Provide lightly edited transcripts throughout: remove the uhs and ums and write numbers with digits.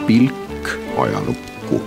pilk ajalukku.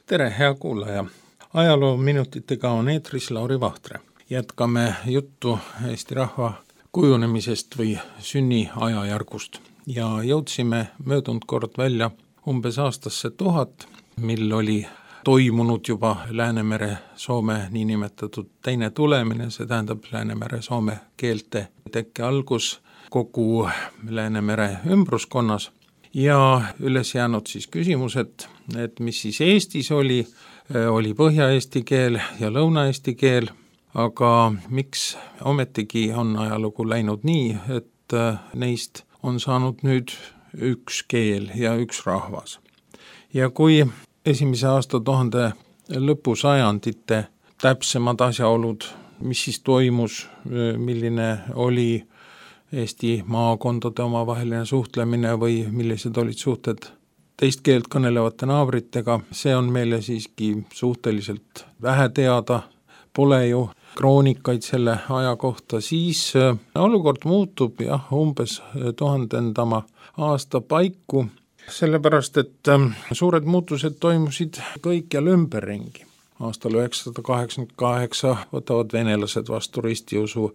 Tere, hea kuulaja! Ajaloominutitega on eetris Lauri Vahtre. Jätkame juttu Eesti rahva kujunemisest või sünniajajärgust ja jõudsime möödunud kord välja umbes aastasse 1000, mil oli toimunud juba Läänemere-Soome niinimetatud teine tulemine, see tähendab Läänemere-Soome keelte tekke algus kogu Läänemere ümbruskonnas ja üles jäänud siis küsimused, et mis siis Eestis oli Põhja-Eesti keel ja Lõuna-Eesti keel, aga miks ometigi on ajalugu läinud nii, et neist on saanud nüüd üks keel ja üks rahvas. Ja kui esimese aastatuhande lõpusajandite täpsemad asjaolud, mis siis toimus, milline oli Eesti maakondade omavaheline suhtlemine või millised olid suhted teist keelt kõnelevate naabritega, see on meile siiski suhteliselt vähe teada, pole ju kroonikaid selle aja kohta, siis olukord muutub umbes 1000. aasta paiku, sellepärast, et suured muutused toimusid kõikjal ümberringi. Aastal 988 võtavad venelased vastu ristiusu,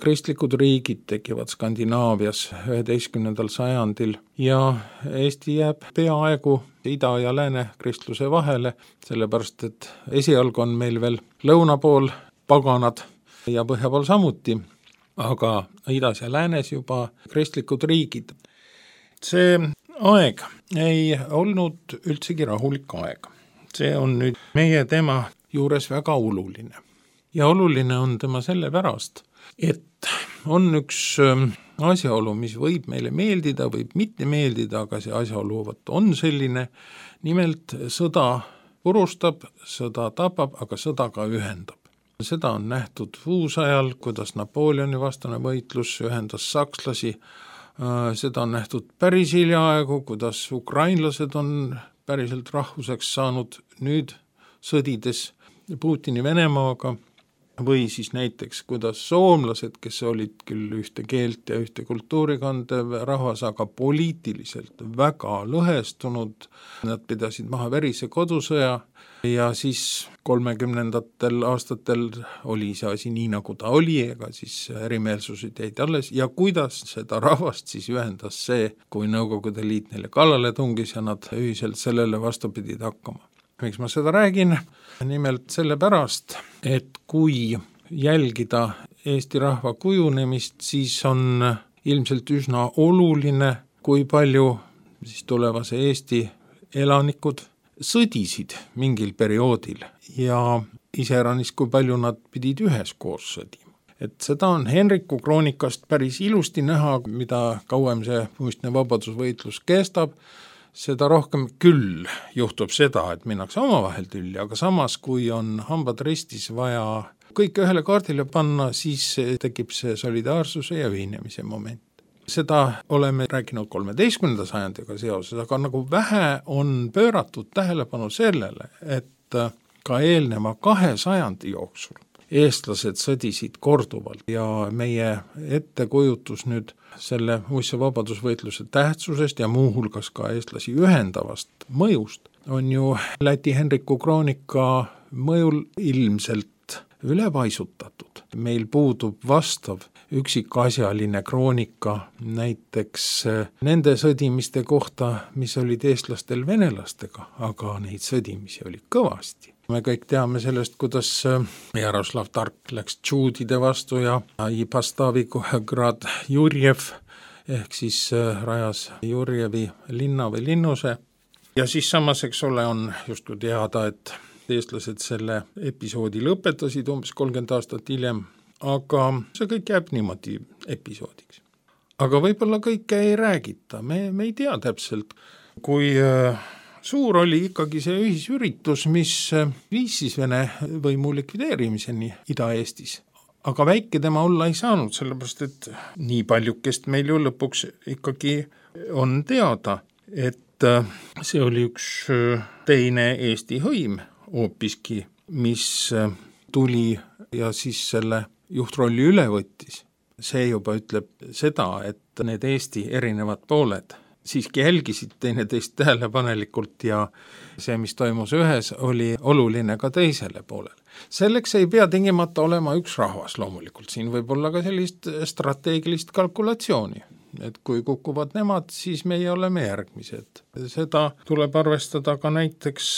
kristlikud riigid tekivad Skandinaavias 11. sajandil ja Eesti jääb peaaegu ida ja lääne kristluse vahele, sellepärast, et esialgu on meil veel lõuna pool paganad ja põhja pool samuti, aga idas ja läänes juba kristlikud riigid. See aeg ei olnud üldsegi rahulik aeg. See on nüüd meie tema juures väga oluline. Ja oluline on tema sellepärast, et on üks asjaolu, mis võib meile meeldida, võib mitte meeldida, aga see asjaolu on selline, nimelt sõda purustab, sõda tapab, aga sõda ka ühendab. Seda on nähtud uusajal, kuidas Napoleoni vastane võitlus ühendas sakslasi, seda on nähtud päris hiljaaegu, kuidas ukrainlased on päriselt rahvuseks saanud nüüd sõdides Putini Venemaaga või siis näiteks kuidas soomlased, kes olid küll ühte keelt ja ühte kultuuri kandev rahvas, aga poliitiliselt väga lõhestunud, nad pidasid maha verise kodusõja ja siis 30. aastatel oli see asi nii, nagu ta oli, ega siis erimeelsused jäid alles ja kuidas seda rahvast siis ühendas see, kui Nõukogude Liit neile kallale tungis ja nad ühiselt sellele vastu pidid hakkama. Miks ma seda räägin? Nimelt sellepärast, et kui jälgida Eesti rahva kujunemist, siis on ilmselt üsna oluline, kui palju siis tulevase Eesti elanikud sõdisid mingil perioodil ja iseäranis, kui palju nad pidid üheskoos sõdima. Et seda on Henriku kroonikast päris ilusti näha, mida kauem see muistne vabadusvõitlus kestab, seda rohkem küll juhtub seda, et minnakse omavahel tülli, aga samas, kui on hambad ristis vaja kõik ühele kaardile panna, siis tekib see solidaarsuse ja ühinemise moment. Seda oleme rääkinud 13. sajandiga seoses, aga nagu vähe on pööratud tähelepanu sellele, et ka eelneva 2 sajandi jooksul eestlased sõdisid korduvalt ja meie ettekujutus nüüd selle muistse vabadusvõitluse tähtsusest ja muuhulgas ka eestlasi ühendavast mõjust on ju Läti Henriku kroonika mõjul ilmselt ülepaisutatud. Meil puudub vastav üksikasjaline kroonika näiteks nende sõdimiste kohta, mis olid eestlastel venelastega, aga neid sõdimisi oli kõvasti. Me kõik teame sellest, kuidas Jaroslav Tark läks tšuudide vastu ja Pastavigrad Jurjev ehk siis rajas Jurjevi linna või linnuse. Ja siis samas, eks ole, on justkui teada, et eestlased selle episoodi lõpetasid umbes 30 aastat hiljem, aga see kõik jääb niimoodi episoodiks. Aga võib-olla kõike ei räägita, me ei tea täpselt, kui suur oli ikkagi see ühisüritus, mis viis siis Vene võimu likvideerimiseni Ida-Eestis. Aga väike tema olla ei saanud, sellepärast et nii paljukest meil ju lõpuks ikkagi on teada, et see oli üks teine Eesti hõim hoopiski, mis tuli ja siis selle juhtrolli üle võttis. see juba ütleb seda, et need Eesti erinevad pooled siiski jälgisid teineteist tähelepanelikult ja see, mis toimus ühes, oli oluline ka teisele poolele. Selleks ei pea tingimata olema üks rahvas loomulikult, siin võib olla ka sellist strateegilist kalkulatsiooni, et kui kukuvad nemad, siis meie oleme järgmised. Seda tuleb arvestada ka näiteks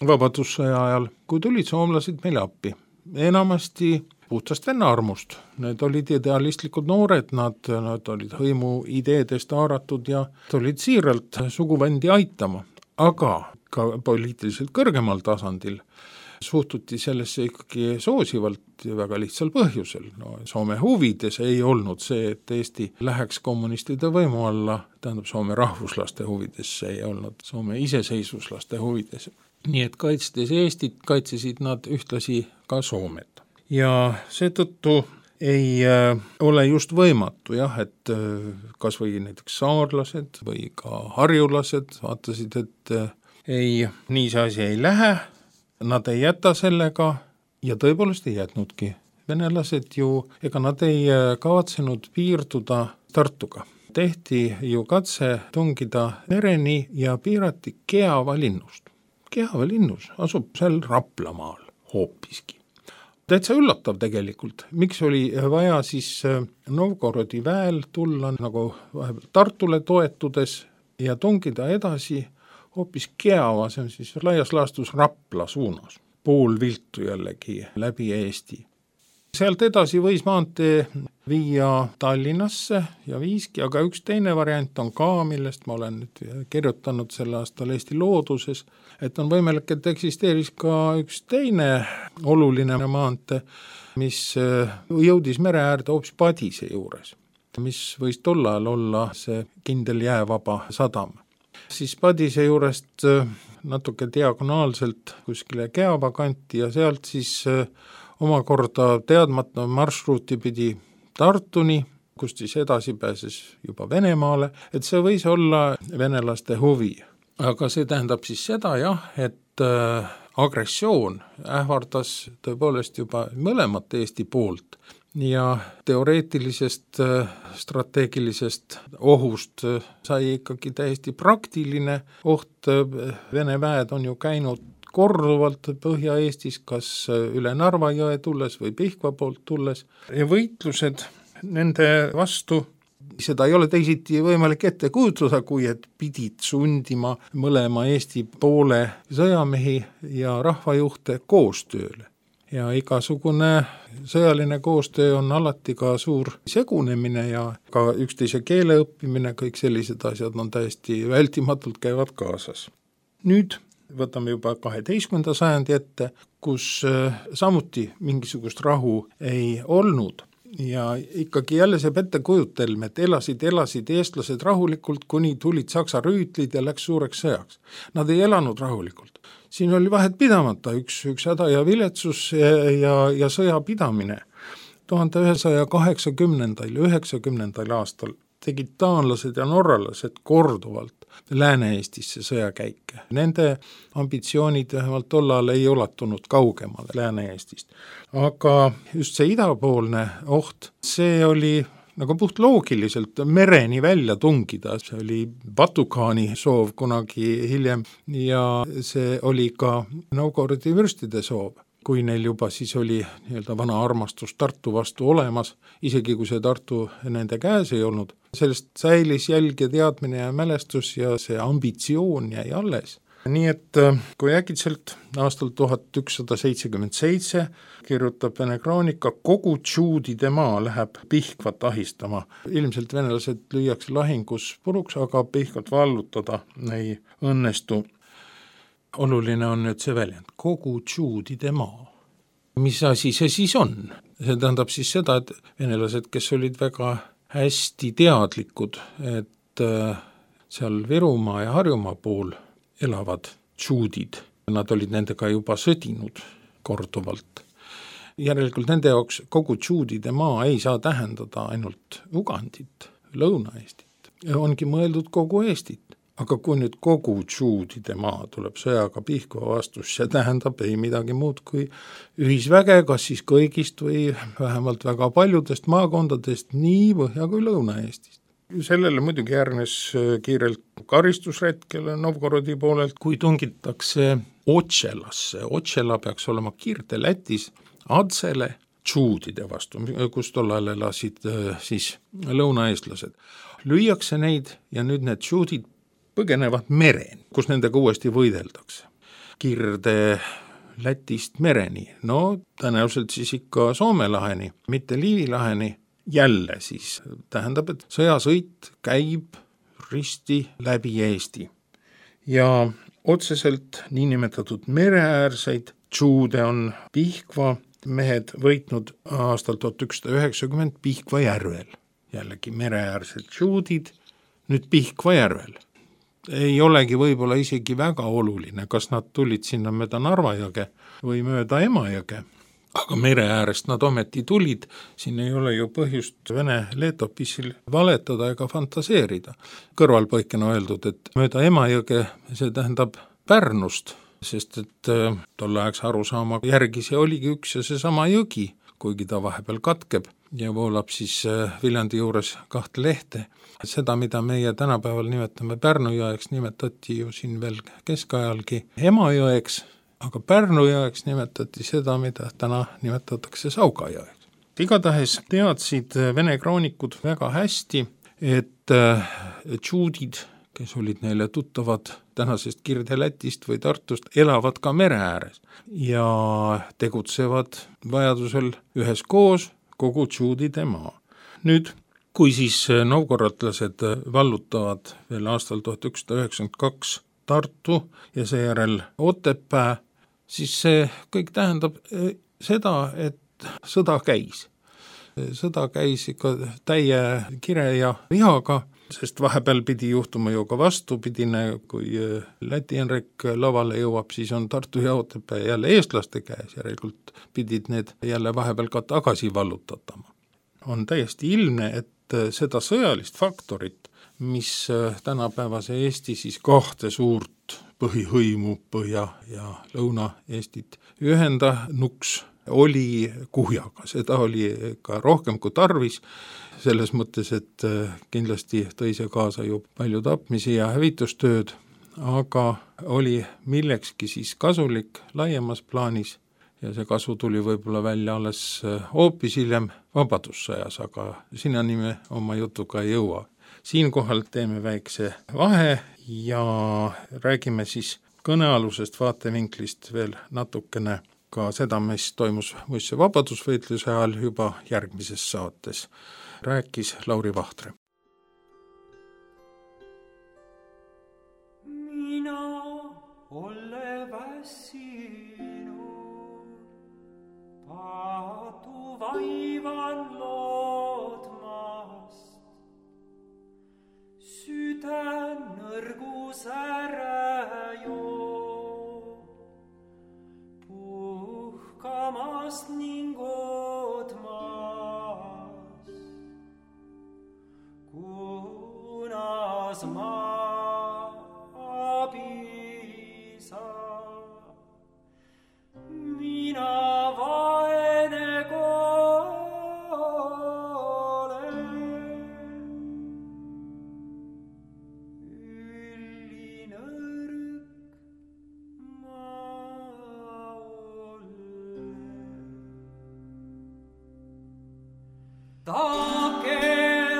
vabadussõja ajal, kui tulid soomlased meile appi. Enamasti puhtast venna armust. Need olid idealistlikud noored, nad olid hõimu ideedest haaratud ja tulid siiralt suguvendi aitama. Aga ka poliitiliselt kõrgemal tasandil suhtuti sellesse ikkagi soosivalt ja väga lihtsal põhjusel. Soome huvides ei olnud see, et Eesti läheks kommunistide võimu alla, tähendab Soome rahvuslaste huvides, see ei olnud Soome iseseisvuslaste huvides. Nii et kaitstes Eestit, kaitsesid nad ühtlasi ka Soomet. Ja seetõttu ei ole just võimatu, et kas või näiteks saarlased või ka harjulased vaatasid, et nii see asi ei lähe, nad ei jäta sellega ja tõepoolest ei jätnudki. Venelased ju, ega nad ei kavatsenud piirduda Tartuga. Tehti ju katse tungida mereni ja piirati Keava linnust. Keava linnus asub seal Raplamaal hoopiski. Täitsa üllatav tegelikult, miks oli vaja siis Novgorodi väel tulla nagu Tartule toetudes ja tungida edasi hoopis Keava, see on siis laias laastus Rapla suunas, pool viltu jällegi läbi Eesti. Sealt edasi võis maantee viia Tallinnasse ja viiski, aga üks teine variant on ka, millest ma olen nüüd kirjutanud sel aastal Eesti looduses, et on võimalik, et eksisteeris ka üks teine oluline maantee, mis jõudis mere äärde hoopis Padise juures, mis võis tol ajal olla see kindel jäävaba sadam. Siis Padise juurest natuke diagonaalselt kuskile Keava kanti ja sealt siis omakorda teadmata marsruuti pidi Tartuni, kust siis edasi pääses juba Venemaale, et see võis olla venelaste huvi. Aga see tähendab siis seda, et agressioon ähvardas tõepoolest juba mõlemat Eesti poolt ja teoreetilisest strateegilisest ohust sai ikkagi täiesti praktiline oht. Vene väed on ju käinud korduvalt Põhja-Eestis, kas üle Narva jõe tulles või Pihkva poolt tulles. Ja võitlused nende vastu, seda ei ole teisiti võimalik ette kujutada, kui et pidid sundima mõlema Eesti poole sõjamehi ja rahvajuhte koostööle. Ja igasugune sõjaline koostöö on alati ka suur segunemine ja ka üksteise keele õppimine, kõik sellised asjad on täiesti vältimatult käivad kaasas. Nüüd võtame juba 12. sajandi ette, kus samuti mingisugust rahu ei olnud. Ja ikkagi jälle see ettekujutelm, et elasid eestlased rahulikult, kuni tulid saksa rüütlid ja läks suureks sõjaks. Nad ei elanud rahulikult. Siin oli vahet pidamata üks häda ja viletsus ja sõja pidamine. 1180. ja 90. aastal tegid taanlased ja norralased korduvalt Lääne-Eestisse sõjakäike. Nende ambitsioonid vähemalt tollal ei ulatunud kaugemale Lääne-Eestist. Aga just see idapoolne oht, see oli nagu puht loogiliselt mereni välja tungida. See oli Batu-khaani soov kunagi hiljem ja see oli ka Novgorodi vürstide soov. Kui neil juba siis oli vana armastus Tartu vastu olemas, isegi kui see Tartu nende käes ei olnud, sellest säilis jälg ja teadmine ja mälestus ja see ambitsioon jäi alles. Nii et kui äkitselt aastal 1177 kirjutab Vene kroonika, kogu Tšuudide maa läheb Pihkvat ahistama. Ilmselt venelased lüüakse lahingus puruks, aga Pihkvat vallutada ei õnnestu. Oluline on nüüd see väljend, kogu Tšuudide maa. Mis asi see siis on? See tähendab siis seda, et venelased, kes olid väga hästi teadlikud, et seal Virumaa ja Harjumaa pool elavad Tšuudid. Nad olid nendega juba sõdinud korduvalt. Järelikult nende jaoks kogu Tšuudide maa ei saa tähendada ainult Ugandit, Lõuna-Eestit. Ongi mõeldud kogu Eestit. aga kui nüüd kogu Juudide maa tuleb sõjaga Pihkva vastus, see tähendab ei midagi muud kui ühisväge, kas siis kõigist või vähemalt väga paljudest maakondadest nii Põhja- kui Lõuna-Eestist. Sellele muidugi järgnes kiirelt karistusretkel Novgorodi poolelt, kui tungitakse Otšelasse. Otšela peaks olema Kirde-Lätis Adsele Juudide vastu, kus tollal elasid siis lõunaeestlased. Lüüakse neid ja nüüd need Juudid põgenevad mereni, kus nendega uuesti võideldakse. Kirde-Lätist mereni, no tõenäoliselt siis ikka Soome laheni, mitte Liivi laheni. Jälle siis tähendab, et sõjasõit käib risti läbi Eesti. Ja otseselt niinimetatud mereäärseid Juude on Pihkva mehed võitnud aastal 1190 Pihkva järvel. Jällegi mereäärsed Juudid, nüüd Pihkva järvel. Ei olegi võib-olla isegi väga oluline, kas nad tulid sinna mööda Narva jõge või mööda Emajõge. Aga mere äärest nad ometi tulid, siin ei ole ju põhjust Vene leetopissil valetada ega fantaseerida. Kõrvalpõikena öeldud, et mööda Emajõge, see tähendab Pärnust, sest et tolleaegse arusaama järgi see oligi üks ja seesama jõgi, kuigi ta vahepeal katkeb ja voolab siis Viljandi juures 2 lehte. Seda, mida meie tänapäeval nimetame Pärnu jõeks, nimetati ju siin veel keskajalgi Emajõeks, aga Pärnu jõeks nimetati seda, mida täna nimetatakse Sauga jõeks. Igatahes teadsid Vene kroonikud väga hästi, et Juudid, kes olid neile tuttavad tänasest Kirde-Lätist või Tartust, elavad ka mere ääres ja tegutsevad vajadusel üheskoos kogu Juudide maa. Nüüd, kui siis novgorodlased vallutavad veel aastal 1992 Tartu ja seejärel Otepää, siis see kõik tähendab seda, et sõda käis. Sõda käis ikka täie kire ja vihaga, sest vahepeal pidi juhtuma ju ka vastupidine, kui Läti Henrik lavale jõuab, siis on Tartu ja Otepää jälle eestlaste käes, järelikult pidid need jälle vahepeal ka tagasi vallutatama. On täiesti ilmne, et seda sõjalist faktorit, mis tänapäevase Eesti siis 2 suurt põhihõimu Põhja- ja Lõuna-Eestit ühendanuks oli kuhjaga. Seda oli ka rohkem kui tarvis, selles mõttes, et kindlasti tõi see kaasa ju palju tapmisi ja hävitustööd, aga oli millekski siis kasulik laiemas plaanis ja see kasu tuli võib-olla välja alles hoopis hiljem vabadussõjas, aga sinnani me oma jutuga ei jõua. Siinkohal teeme väikse vahe ja räägime siis kõnealusest vaatevinklist veel natukene ka seda, mis toimus muistse vabadusvõitluse ajal juba järgmises saates. Rääkis Lauri Vahtre. Mina ole väsinud, paatu vaivan lootmast, süda nõrgus ära joob, puhkamast ning ootmast, kunas ma abi saa. Mina vaene olen, üllinõrk ma olen. Taake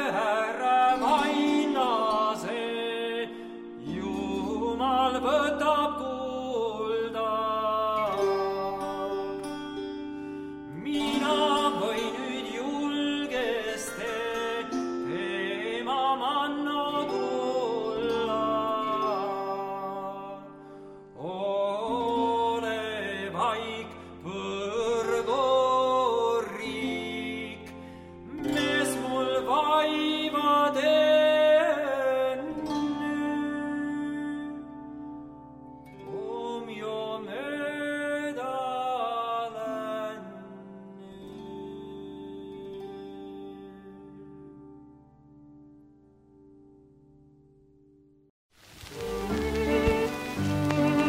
ära vainase, Jumal võtab kulda. Mina võin nüüd julgesti tema manno tulla. Ole vaik, põrgu riik, me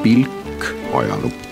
pilk ajalukku.